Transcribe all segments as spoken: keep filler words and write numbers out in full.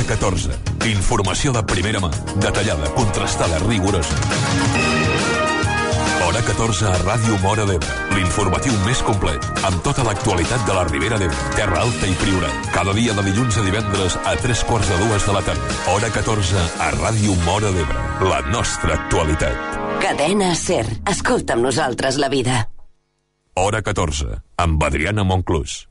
catorze. Informació de primera mà, detallada, contrastada, rigorosa. Hora catorze a Ràdio Móra d'Ebre. L'informatiu més complet, amb tota l'actualitat de la Ribera d'Ebre, Terra Alta i Priorat. Cada dia de dilluns a divendres a tres quarts de dues de la tarda. Hora catorze a Ràdio Móra d'Ebre. La nostra actualitat. Cadena SER. Escolta amb nosaltres la vida. Hora catorze, amb Adriana Monclús.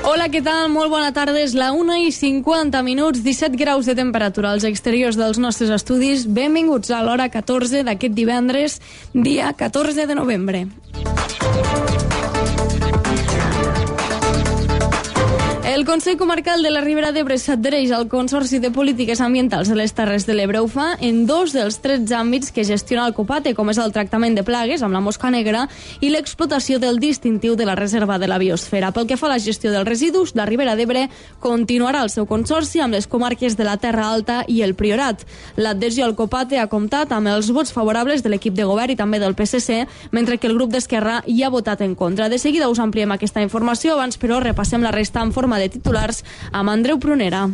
Hola, què tal? Molt bona tarda. És la una i cinquanta minuts, disset graus de temperatura als exteriors dels nostres estudis. Benvinguts a l'hora catorze d'aquest divendres, dia catorze de novembre. El Consell Comarcal de la Ribera d'Ebre s'adhereix al Consorci de Polítiques Ambientals de les Terres de l'Ebre. Ho fa en dos dels tretze àmbits que gestiona el COPATE, com és el tractament de plagues amb la mosca negra i l'explotació del distintiu de la Reserva de la Biosfera. Pel que fa a la gestió dels residus, la Ribera d'Ebre continuarà el seu consorci amb les comarques de la Terra Alta i el Priorat. L'adhesió al COPATE ha comptat amb els vots favorables de l'equip de govern i també del P S C, mentre que el grup d'Esquerra hi ha votat en contra. De seguida us ampliem aquesta informació, abans però repassem la resta en forma de titulars amb Andreu Prunera.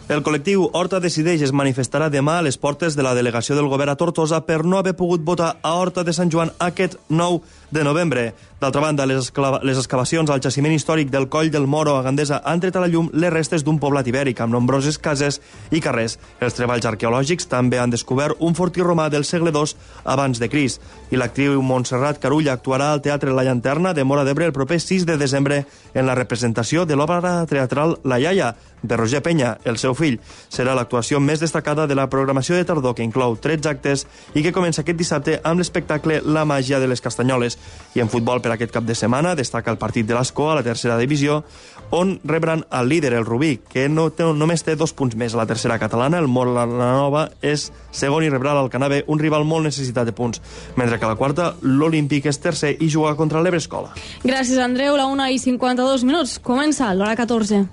El col·lectiu Horta Decideix es manifestarà demà a les portes de la delegació del govern a Tortosa per no haver pogut votar a Horta de Sant Joan aquest nou de novembre. D'altra banda, les, esclava, les excavacions al jaciment històric del Coll del Moro a Gandesa han tret a la llum les restes d'un poblat ibèric amb nombroses cases i carrers. Els treballs arqueològics també han descobert un fortí romà del segle dos abans de Crist. I l'actriu Montserrat Carulla actuarà al Teatre La Llanterna de Móra d'Ebre el proper sis de desembre en la representació de l'obra teatral La Iaia, de Roger Penya, el seu fill. Serà l'actuació més destacada de la programació de tardor, que inclou tretze actes i que comença aquest dissabte amb l'espectacle La màgia de les castanyoles. I en futbol, per aquest cap de setmana, destaca el partit de l'Ascó a la tercera divisió, on rebran el líder, el Rubí, que no té, només té dos punts més. A la tercera catalana, el Móra la Nova és segon i rebrà l'Alcanar B, un rival molt necessitat de punts, mentre que a la quarta, l'Olímpic és tercer i juga contra l'Ebre Escola. Gràcies, Andreu. La una i cinquanta-dos minuts. Comença l'hora catorze.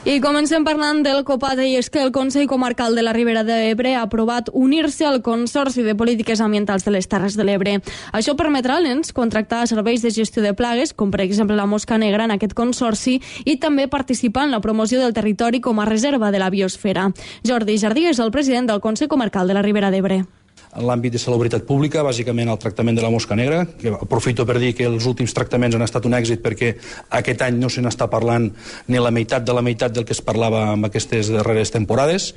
I comencem parlant del COPATE, i és que el Consell Comarcal de la Ribera d'Ebre ha aprovat unir-se al Consorci de Polítiques Ambientals de les Terres de l'Ebre. Això permetrà als nens contractar serveis de gestió de plagues, com per exemple la mosca negra en aquest consorci, i també participar en la promoció del territori com a reserva de la biosfera. Jordi Jardí és el president del Consell Comarcal de la Ribera d'Ebre. En l'àmbit de salubritat pública, bàsicament el tractament de la mosca negra, que aprofito per dir que els últims tractaments han estat un èxit perquè aquest any no se n'està parlant ni la meitat de la meitat del que es parlava en aquestes darreres temporades,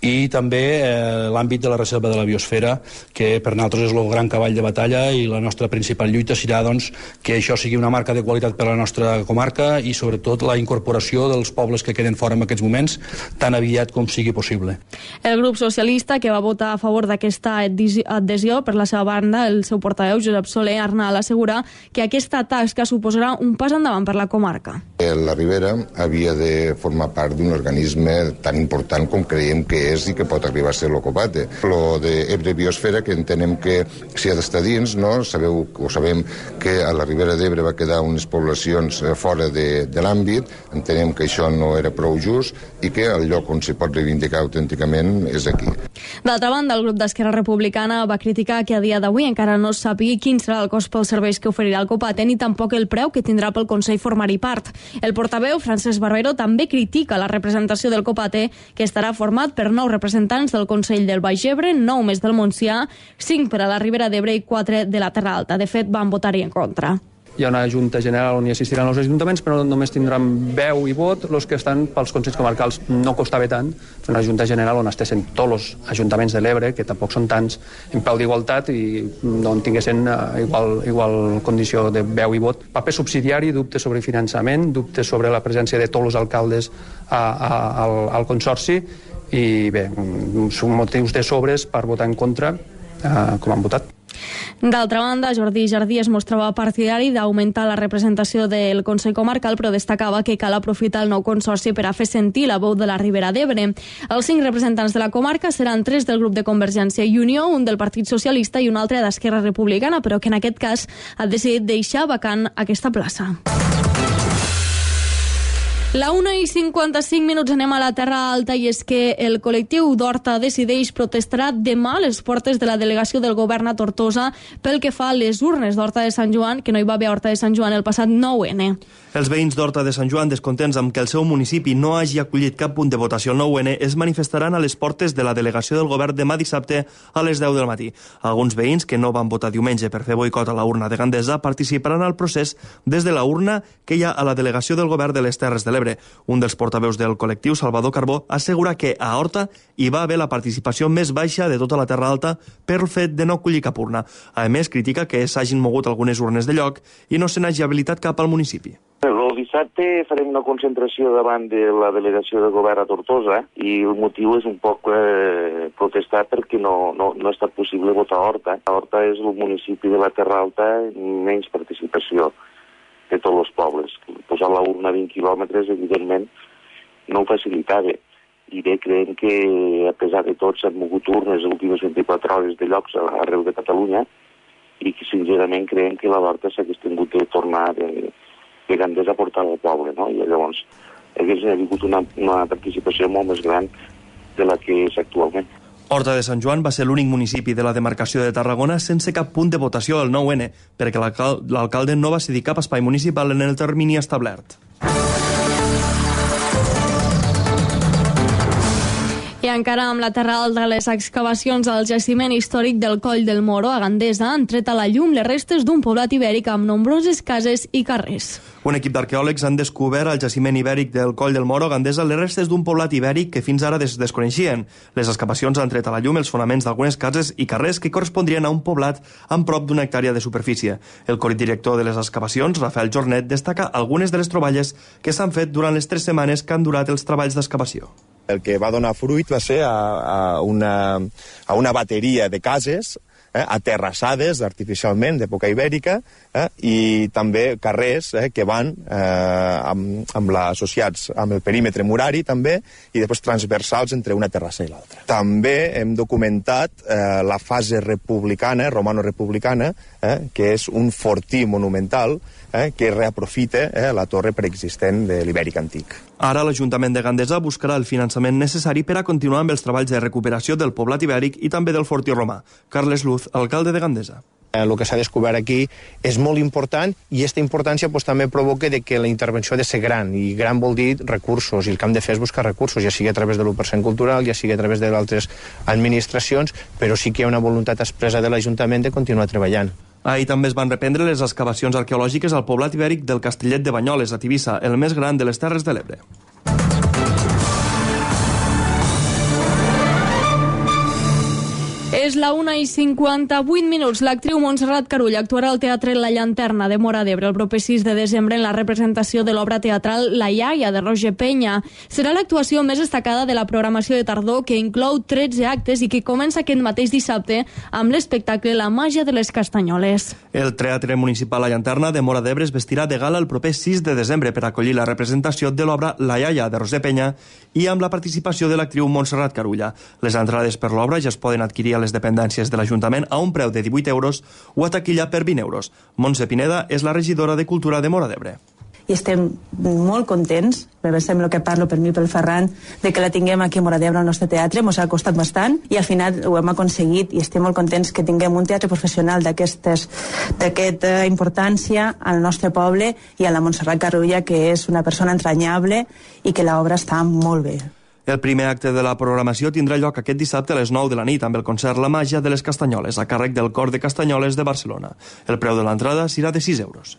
i també eh, l'àmbit de la reserva de la biosfera, que per nosaltres és el gran cavall de batalla, i la nostra principal lluita serà doncs, que això sigui una marca de qualitat per a la nostra comarca i sobretot la incorporació dels pobles que queden fora en aquests moments tan aviat com sigui possible. El grup socialista, que va votar a favor d'aquesta adhesió, per la seva banda, el seu portaveu Josep Soler Arnal assegura que aquesta tasca suposarà un pas endavant per la comarca. La Ribera havia de formar part d'un organisme tan important com creiem que és i que pot arribar a ser el COPATE. Lo d'Ebre Biosfera, que entenem que s'hi ha d'estar dins, no? Sabeu, o sabem que a la Ribera d'Ebre va quedar unes poblacions fora de, de l'àmbit, entenem que això no era prou just i que el lloc on s'hi pot reivindicar autènticament és aquí. D'altra banda, el grup d'Esquerra Republicana va criticar que a dia d'avui encara no sàpiga quin serà el cost pels serveis que oferirà el COPATE ni tampoc el preu que tindrà pel Consell formar-hi part. El portaveu, Francesc Barbero, també critica la representació del COPATE, que estarà format per nou representants del Consell del Baix Ebre, nou més del Montsià, cinc per a la Ribera d'Ebre i quatre de la Terra Alta. De fet, van votar-hi en contra. Hi ha una junta general on hi assistiran els ajuntaments, però només tindran veu i vot els que estan pels consells comarcals. No costava tant fer una junta general on estessin tots els ajuntaments de l'Ebre, que tampoc són tants, en peu d'igualtat i no en tinguessin igual, igual condició de veu i vot. Paper subsidiari, dubtes sobre finançament, dubtes sobre la presència de tots els alcaldes a, a, al, al consorci, i bé, són motius de sobres per votar en contra, eh, com han votat. D'altra banda, Jordi Jardí es mostrava partidari d'augmentar la representació del Consell Comarcal, però destacava que cal aprofitar el nou consorci per a fer sentir la veu de la Ribera d'Ebre. Els cinc representants de la comarca seran tres del grup de Convergència i Unió, un del Partit Socialista i un altre d'Esquerra Republicana, però que en aquest cas ha decidit deixar vacant aquesta plaça. La una i cinquanta-cinc minuts anem a la Terra Alta i és que el col·lectiu d'Horta Decideix protestarà demà a les portes de la delegació del govern a Tortosa pel que fa a les urnes d'Horta de Sant Joan, que no hi va haver Horta de Sant Joan el passat nou ene. Els veïns d'Horta de Sant Joan, descontents amb que el seu municipi no hagi acollit cap punt de votació el nou ene, es manifestaran a les portes de la delegació del govern demà dissabte a les deu del matí. Alguns veïns que no van votar diumenge per fer boicot a la urna de Gandesa participaran al procés des de la urna que hi ha a la delegació del govern de les Terres de l'Ebre. Un dels portaveus del col·lectiu, Salvador Carbó, assegura que a Horta hi va haver la participació més baixa de tota la Terra Alta pel fet de no acollir cap urna. A més, critica que s'hagin mogut algunes urnes de lloc i no se n'hagi habilitat cap al municipi. El dissabte farem una concentració davant de la delegació de govern a Tortosa i el motiu és un poc eh, protestar perquè no, no, no ha estat possible votar a Horta. Horta és el municipi de la Terra Alta amb menys participació de tots els pobles. Posar la urna a vint quilòmetres, evidentment, no ho facilitava. I bé, creiem que, a pesar de tot, s'han mogut urnes les últimes vint-i-quatre hores de llocs arreu de Catalunya i que, sincerament, creiem que la Horta s'hagués tingut de tornar de, de Gandesa a portar al poble, no? I llavors hagués hagut una, una participació molt més gran de la que és actualment. Horta de Sant Joan va ser l'únic municipi de la demarcació de Tarragona sense cap punt de votació al nou ene, perquè l'alcalde no va cedir cap espai municipal en el termini establert. I encara amb la Terra Alta, les excavacions al jaciment històric del Coll del Moro, a Gandesa, han tret a la llum les restes d'un poblat ibèric amb nombroses cases i carrers. Un equip d'arqueòlegs han descobert al jaciment ibèric del Coll del Moro, a Gandesa, les restes d'un poblat ibèric que fins ara des desconeixien. Les excavacions han tret a la llum els fonaments d'algunes cases i carrers que correspondrien a un poblat amb prop d'una hectàrea de superfície. El codirector de les excavacions, Rafael Jornet, destaca algunes de les troballes que s'han fet durant les tres setmanes que han durat els treballs d'excavació. El que va donar fruit va ser a, a, una, a una bateria de cases eh, aterrassades artificialment d'època ibèrica eh, i també carrers eh, que van eh, amb, amb la, associats amb el perímetre murari també i després transversals entre una terrassa i l'altra. També hem documentat eh, la fase republicana, romano-republicana, eh, que és un fortí monumental eh, que reaprofita eh, la torre preexistent de l'Ibèric antic. Ara l'Ajuntament de Gandesa buscarà el finançament necessari per a continuar amb els treballs de recuperació del poblat ibèric i també del fortí romà. Carles Luz, alcalde de Gandesa. El que s'ha descobert aquí és molt important i aquesta importància pues, també provoca de que la intervenció ha de ser gran, i gran vol dir recursos, i el que hem de fer és buscar recursos, ja sigui a través de l'u per cent cultural, ja sigui a través de altres administracions, però sí que hi ha una voluntat expressa de l'Ajuntament de continuar treballant. Ahir també es van reprendre les excavacions arqueològiques al poblat ibèric del Castellet de Banyoles, a Tivissa, el més gran de les Terres de l'Ebre. És la una i cinquanta-vuit minuts. L'actriu Montserrat Carulla actuarà al Teatre La Llanterna de Móra d'Ebre el proper sis de desembre en la representació de l'obra teatral La iaia, de Roger Penya. Serà l'actuació més destacada de la programació de tardor, que inclou tretze actes i que comença aquest mateix dissabte amb l'espectacle La màgia de les castanyoles. El Teatre Municipal La Llanterna de Móra d'Ebre es vestirà de gala el proper sis de desembre per acollir la representació de l'obra La iaia, de Roger Penya, i amb la participació de l'actriu Montserrat Carulla. Les entrades per l'obra ja es poden adquirir a les dependències de l'Ajuntament a un preu de divuit euros o a taquilla per vint euros. Montse Pineda és la regidora de Cultura de Móra d'Ebre. I estem molt contents, em sembla que parlo per mi i pel Ferran, de que la tinguem aquí a Móra d'Ebre al nostre teatre. Ens ha costat bastant i al final ho hem aconseguit i estem molt contents que tinguem un teatre professional d'aquesta importància al nostre poble i a la Montserrat Carulla, que és una persona entranyable i que l'obra està molt bé. El primer acte de la programació tindrà lloc aquest dissabte a les nou de la nit amb el concert La màgia de les castanyoles, a càrrec del Cor de Castanyoles de Barcelona. El preu de l'entrada serà de sis euros.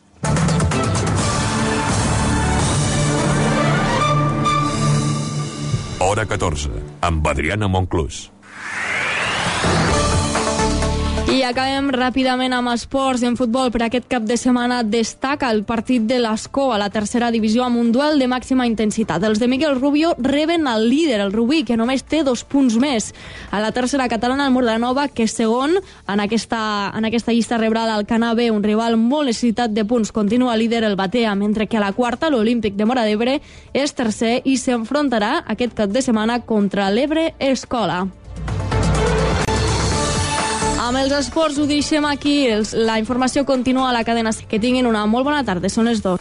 Hora catorze, amb Adriana Monclús. I acabem ràpidament amb esports. En futbol, per aquest cap de setmana destaca el partit de l'Escó a la tercera divisió amb un duel de màxima intensitat. Els de Miguel Rubio reben el líder, el Rubí, que només té dos punts més. A la tercera catalana, el Mordanova, que és segon en aquesta, en aquesta llista, rebrà l'Alcanar B, un rival molt necessitat de punts. Continua líder el Batea, mentre que a la quarta, l'Olímpic de Móra d'Ebre és tercer i s'enfrontarà aquest cap de setmana contra l'Ebre Escola. Amb els esports ho deixem aquí. La informació continua a la cadena. Que tinguin una molt bona tarda. Són les dos.